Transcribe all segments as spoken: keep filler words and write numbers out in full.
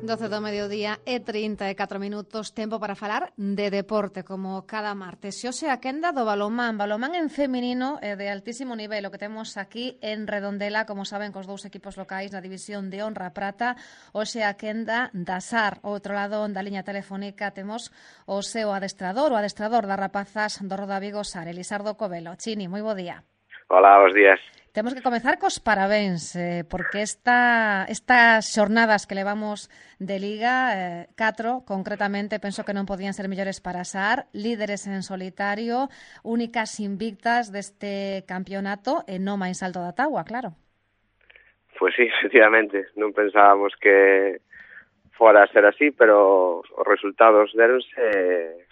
doce do mediodía e trinta e catro minutos, tempo para falar de deporte, como cada martes. Xoxe a quenda do balonmán, balonmán en feminino e de altísimo nivel, o que temos aquí en Redondela, como saben, cos dous equipos locais na división de honra prata, hoxe a quenda da S A R. Ao outro lado da liña telefónica temos o seu adestrador, o adestrador das rapazas do Roda Vigo S A R, Elisardo Covelo. Chini, moi bo día. Hola, bons días. Temos que comezar cos parabéns, eh, porque esta, estas xornadas que levamos de Liga, eh, catro, concretamente, penso que non podían ser mellores para S A R, líderes en solitario, únicas invictas deste campeonato e non máis alto da táboa, claro. Pues sí, efectivamente, non pensábamos que fora a ser así, pero os resultados deronse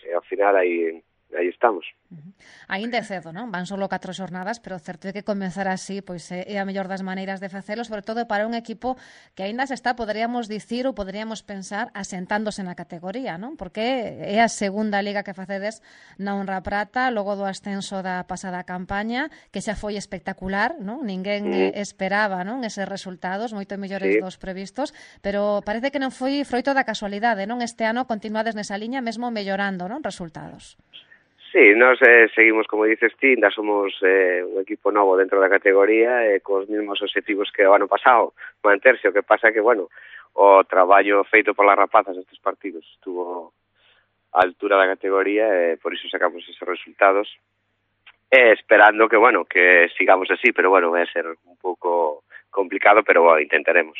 e ao final aí... aí estamos. Uh-huh. Ainda é cedo, non? Van solo catro xornadas, pero certo é que comenzar así pois é a mellor das maneiras de facelo, sobre todo para un equipo que aínda se está, poderíamos dicir ou poderíamos pensar, asentándose na categoría, non? Porque é a segunda liga que facedes na honra prata, logo do ascenso da pasada campaña, que xa foi espectacular, non? Ninguén mm. esperaba, non? Eses resultados, moito mellores sí. dos previstos, pero parece que non foi froito da casualidade, non? Este ano continuades nesa liña, mesmo mellorando, non? Resultados. Sí, nos eh, seguimos, como dices ti, ainda somos eh, un equipo novo dentro da categoría e eh, cos mesmos objetivos que o ano pasado, manterse. O que pasa que, bueno, o traballo feito polas rapazas nestes partidos estuvo a altura da categoría e eh, por iso sacamos esos resultados. Eh, esperando que, bueno, que sigamos así, pero, bueno, vai ser un pouco complicado, pero bueno, intentaremos.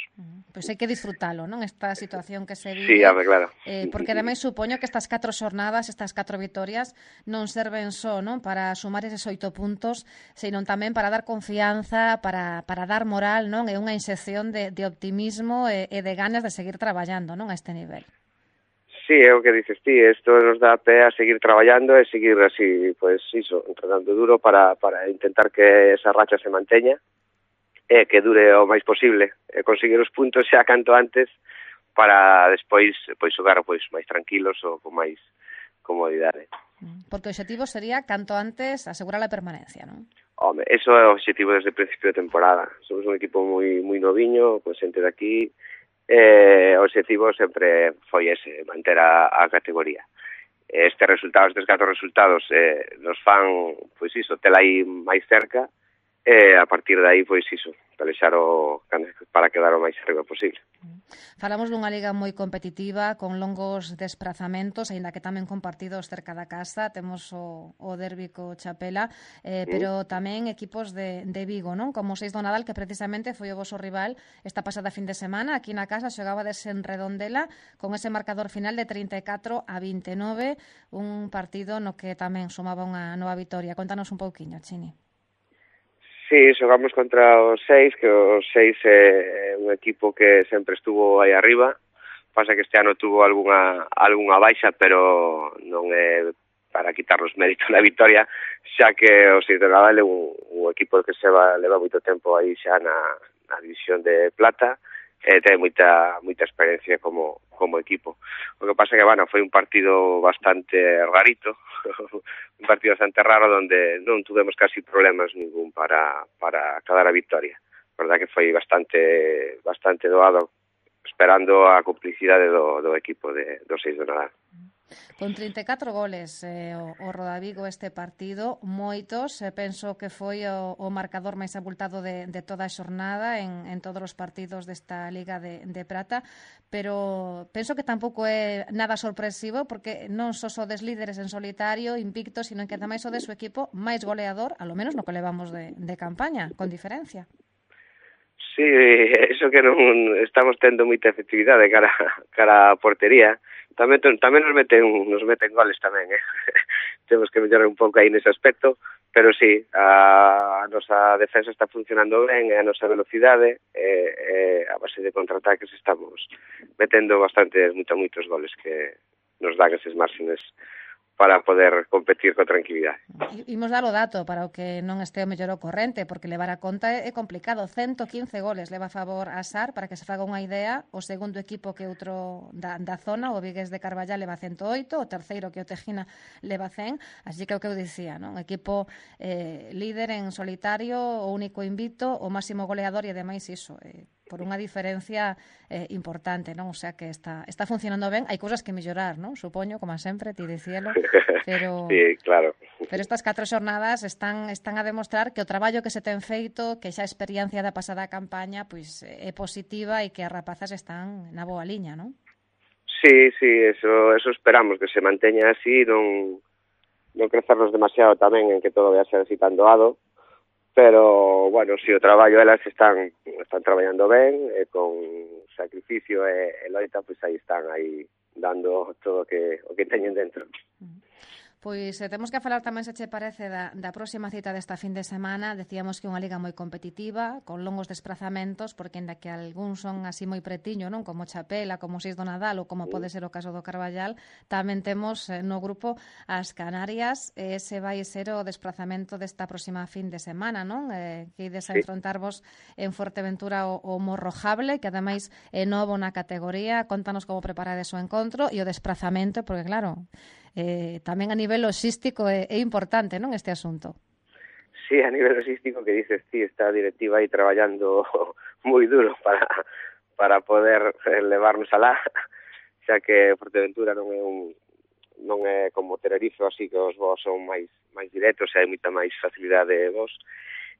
Pois hai que disfrutalo, non? Esta situación que se vive. Sí, a ver, claro. Eh, porque ademais supoño que estas catro xornadas, estas catro vitorias, non serven só, non? Para sumar eses oito puntos, senón tamén para dar confianza, para, para dar moral, non? E unha inxección de, de optimismo e, e de ganas de seguir traballando, non? A este nivel. Sí, é o que dices ti, isto nos dá pé a seguir traballando e seguir así, pues iso, entrenando duro para, para intentar que esa racha se manteña e que dure o máis posible, e conseguir os puntos xa canto antes para despois pois xogar pois máis tranquilos ou con máis comodidade. Porque o objetivo sería canto antes asegurar a permanencia, non? Home, eso é o objetivo desde o principio de temporada. Somos un equipo moi moi noviño, con xente de aquí, e o objetivo sempre foi ese, manter a, a categoría. Estes resultados, estes catro resultados eh, nos fan, pois iso, tela aí máis cerca, e a partir de aí, pois iso, pelexar o para quedar o máis arriba posible. Falamos dunha liga moi competitiva, con longos desplazamentos, aínda que tamén con partidos cerca da casa, temos o, o derbi co Chapela, eh, pero mm. tamén equipos de, de Vigo, non? Como o Seis do Nadal, que precisamente foi o voso rival esta pasada fin de semana, aquí na casa xogabades en Redondela, con ese marcador final de trinta e catro a vinte e nove, un partido no que tamén sumaba unha nova vitoria. Contanos un pouquiño, Chini. Sí, xogamos contra os seis, que os seis é un equipo que sempre estuvo aí arriba. Pasa que este ano tuvo algunha algunha baixa, pero non é para quitar os méritos da victoria, xa que o Seis de Nadal é un, un equipo que se va, leva moito tempo aí xa na, na división de plata, e ten moita moita experiencia como como equipo. O que pasa que, bueno, foi un partido bastante rarito, un partido bastante raro onde non tuvemos casi problemas ningún para para acadar a victoria. A verdad que foi bastante bastante doado, esperando a complicidade do, do equipo de, do Seis do Nadal. Con trinta e catro goles eh, o, o Roda Vigo este partido, moitos, eh, penso que foi o, o marcador máis abultado de, de toda a xornada en, en todos os partidos desta Liga de, de Prata, pero penso que tampouco é nada sorpresivo, porque non só sodes líderes en solitario, invictos, sino que tamén sodes o equipo máis goleador, a lo menos no que levamos de, de campaña, con diferencia. Sí, eso que non estamos tendo moita efectividade cara, cara a portería. Tamén tamén nos meten nos meten goles tamén, eh. Temos que mellorar un pouco aí nese aspecto, pero sí, a, a nosa defensa está funcionando ben, a nosa velocidade, e, e a base de contraataques estamos metendo bastantes, moitos, moitos goles que nos dan eses márgenes para poder competir con tranquilidade. Imos dar o dato para o que non este o mellor o corrente, porque levar a conta é complicado. ciento quince goles leva a favor a S A R, para que se faga unha idea. O segundo equipo que outro da, da zona, o Vigués de Carballal, leva ciento oito, o terceiro, que o Tejina, leva cen. Así que é o que eu dicía, non? Equipo eh, líder en solitario, o único invicto, o máximo goleador e ademais iso, eh, por unha diferencia eh, importante, non? O sea que está está funcionando ben. Hai cousas que mellorar, non? Supoño, como sempre, ti dicíelo, pero Sí, claro. pero estas catro xornadas están están a demostrar que o traballo que se ten feito, que xa a experiencia da pasada campaña, pois é positiva e que as rapazas están na boa liña, non? Sí, sí, eso eso esperamos que se manteña así, non non crecernos demasiado tamén en que todo vai a ser así tan doado, pero, bueno, si o traballo elas están están traballando ben, e con sacrificio e, e loita, pois aí están aí dando todo o que o que teñen dentro. Pois eh, temos que falar tamén, se che parece, da, da próxima cita desta fin de semana. Decíamos que é unha liga moi competitiva, con longos desplazamentos, porque ainda que algúns son así moi pretiño, non, como Chapela, como Seis do Nadal ou como pode ser o caso do Carballal, tamén temos eh, no grupo as Canarias. Ese vai ser o desplazamento desta próxima fin de semana, non? Eh, que ides a enfrontarvos en Fuerteventura o, o Morrojable, que ademais é novo na categoría. Contanos como preparades o encontro e o desplazamento, porque claro, Eh, tamén a nivel logístico é, é importante, non, este asunto? Sí, a nivel logístico, que dices ti, está a directiva aí traballando moi duro para para poder levarnos alá, xa que Fuerteventura non é un non é como Tenerife, así que os voos son máis máis directos e hai moita máis facilidade de voos.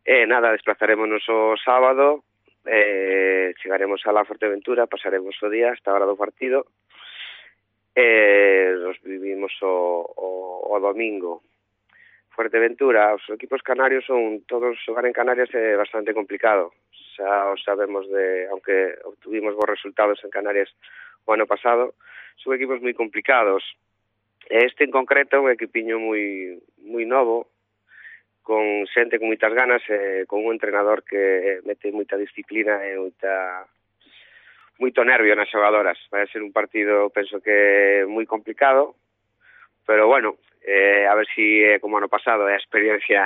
E nada, desplazarémonos o sábado, eh, chegaremos a la Fuerteventura, pasaremos o día hasta a hora do partido, e nos vivimos o, o, o domingo. Fuerteventura, os equipos canarios son, todos xogar en Canarias é bastante complicado, xa o sabemos de, aunque obtuvimos bons resultados en Canarias o ano pasado, son equipos moi complicados. Este en concreto é un equipiño moi moi novo, con xente con moitas ganas e con un entrenador que mete moita disciplina e moita moito nervio nas xogadoras. Vai ser un partido, penso que moi complicado, pero bueno, eh, a ver si eh, como ano pasado a experiencia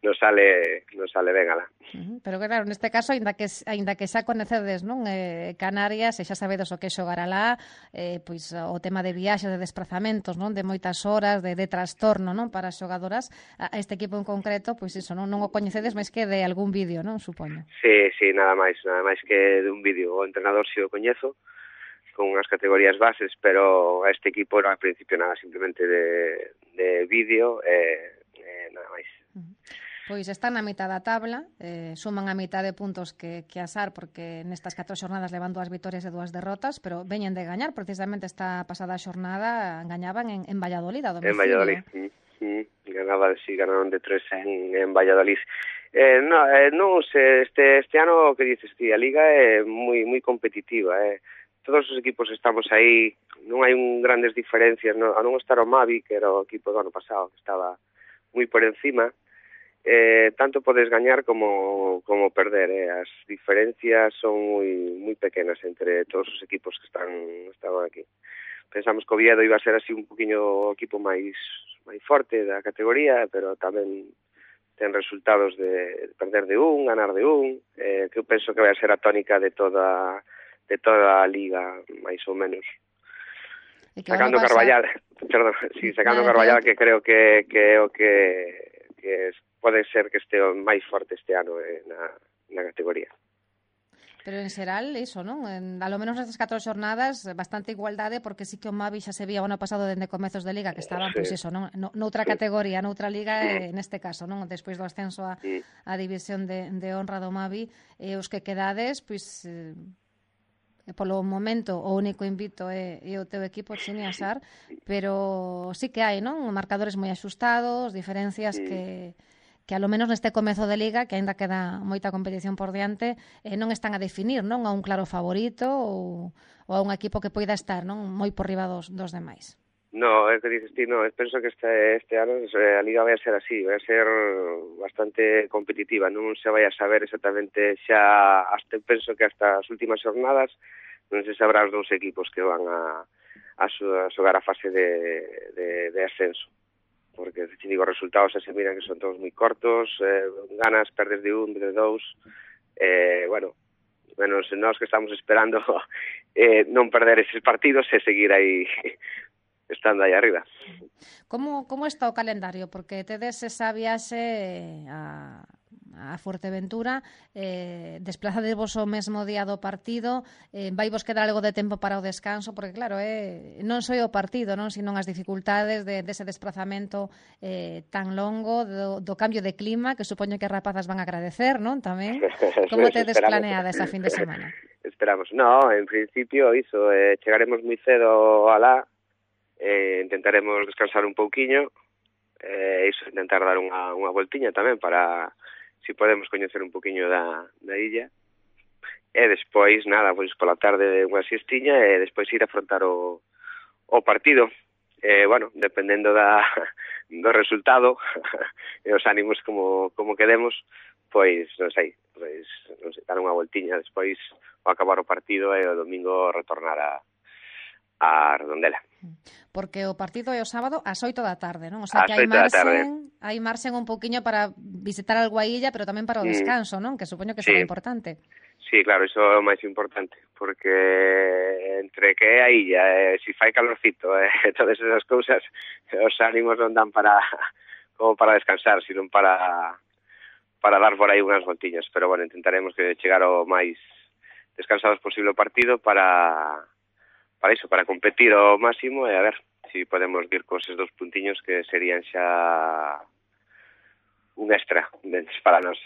nos sale nos sale ben alá. Uh -huh. Pero claro, neste caso, aínda que aínda que xa coñecedes, non, eh, Canarias, e xa sabedes o que xogar alá, eh, pois o tema de viaxes, de desplazamentos, non, de moitas horas, de, de trastorno, non, para as xogadoras, a este equipo en concreto, pois iso, non, non o coñecedes máis que de algún vídeo, non, supoño. Sí, sí, nada máis, nada máis que de un vídeo. O entrenador si o coñezo, con unhas categorías bases, pero a este equipo era al principio nada, simplemente de, de vídeo e eh, eh, nada máis. Uh -huh. Pois están na mitad da tabla, eh, suman a mitad de puntos que, que Asar, porque nestas catro xornadas levan dúas vitorias e dúas derrotas, pero veñen de gañar, precisamente esta pasada xornada gañaban en, en Valladolid, a domicilio. En Valladolid, mm, mm, ganaba, sí, ganaron de tres en, en Valladolid. Eh, no, eh, non, se, este, este ano, que dices ti, a Liga é moi moi competitiva, eh. Todos os equipos estamos aí, non hai un grandes diferencias, no, a non estar o Mavi, que era o equipo do ano pasado, que estaba moi por encima, eh, tanto podes gañar como como perder, eh. As diferencias son moi moi pequenas entre todos os equipos que están estaban aquí. Pensamos que o Oviedo iba a ser así un poquinho o equipo máis máis forte da categoría, pero tamén ten resultados de perder de un, ganar de un, eh, que eu penso que vai a ser a tónica de toda de toda a liga, máis ou menos. Sacando Carballal, perdón, sí, sacando Carballal, que creo que que o que que pode ser que este máis forte este ano eh, na, na categoría. Pero en xeral, iso, non? En, a lo menos nestas catro xornadas, bastante igualdade, porque sí que o Mavi xa se vía o ano pasado dende comezos de liga, que estaban, sí, pois iso, non? No, noutra sí. categoría, noutra liga, eh, neste caso, non? Despois do ascenso a, sí. a división de, de honra do Mavi, e eh, os que quedades, pois... Eh, polo momento o único invito é, é o teu equipo, Chini Asar, pero sí que hai, non? Marcadores moi axustados, diferencias sí. que que a lo menos neste comezo de liga, que aínda queda moita competición por diante, eh, non están a definir, non, a un claro favorito ou, ou a un equipo que poida estar, non, moi por riba dos, dos demais. No, é que dices ti, no, penso que este, este ano a Liga vai a ser así, vai a ser bastante competitiva, non se vai a saber exactamente xa, hasta penso que hasta as últimas jornadas non se sabrá os dous equipos que van a, a, a xogar a fase de, de, de ascenso, porque se digo, os resultados se miran que son todos moi cortos, eh, ganas, perdes de un, de dous, eh, bueno, menos nós que estamos esperando eh, non perder eses partidos e seguir aí estando aí arriba. Como, como está o calendario? Porque tedes esa viaxe a, a a Fuerteventura, eh, desplazadevos o mesmo día do partido, eh, vai vos quedar algo de tempo para o descanso, porque claro, eh, non só o partido, non, sino as dificultades de, dese desplazamento eh, tan longo, do, do cambio de clima, que supoño que as rapazas van a agradecer, non, tamén. Como te desplaneada esa fin de semana? Esperamos. No, en principio, iso, eh, chegaremos moi cedo alá, eh, intentaremos descansar un pouquiño, eh, iso, intentar dar unha, unha voltiña tamén para, si podemos, coñecer un pouquiño da, da illa. E despois, nada, pois pola tarde unha siestiña e despois ir a afrontar o, o partido. Eh, bueno, dependendo da, do resultado e os ánimos como, como quedemos, pois, non sei, pois, non sei, dar unha voltiña despois ao acabar o partido e o domingo retornar a a Redondela. Porque o partido é o sábado ás oito da tarde, non? O sea, que hai marxen, hai marxen un pouquiño para visitar algo a illa, pero tamén para o descanso, non? Que supoño que será sí. importante. Sí, claro, iso é o máis importante, porque entre que é a illa, eh, si fai calorcito, e eh, todas esas cousas, os ánimos non dan para como para descansar, sino para para dar por aí unhas voltiñas, pero bueno, intentaremos que chegar o máis descansados posible o partido para para iso, para competir ao máximo e a ver se si podemos vir con esos dos puntiños que serían xa un extra para nós.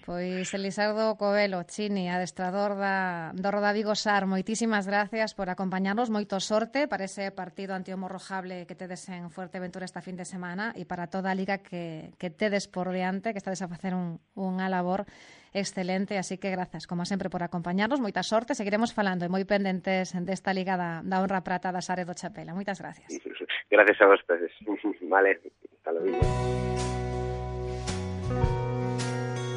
Pois Elisardo Covelo, Chini, adestrador da, do Roda Vigo Sar, moitísimas gracias por acompañarnos, moito sorte para ese partido ante o Morrojable que tedes en Fuerteventura esta fin de semana e para toda a liga que, que tedes por diante, que estades a facer un, unha labor excelente, así que grazas, como sempre, por acompañarnos, moita sorte, seguiremos falando e moi pendentes desta liga da, da Honra Prata da Sare do Chapela. Moitas gracias. Gracias a vos, peces. Vale, hasta luego.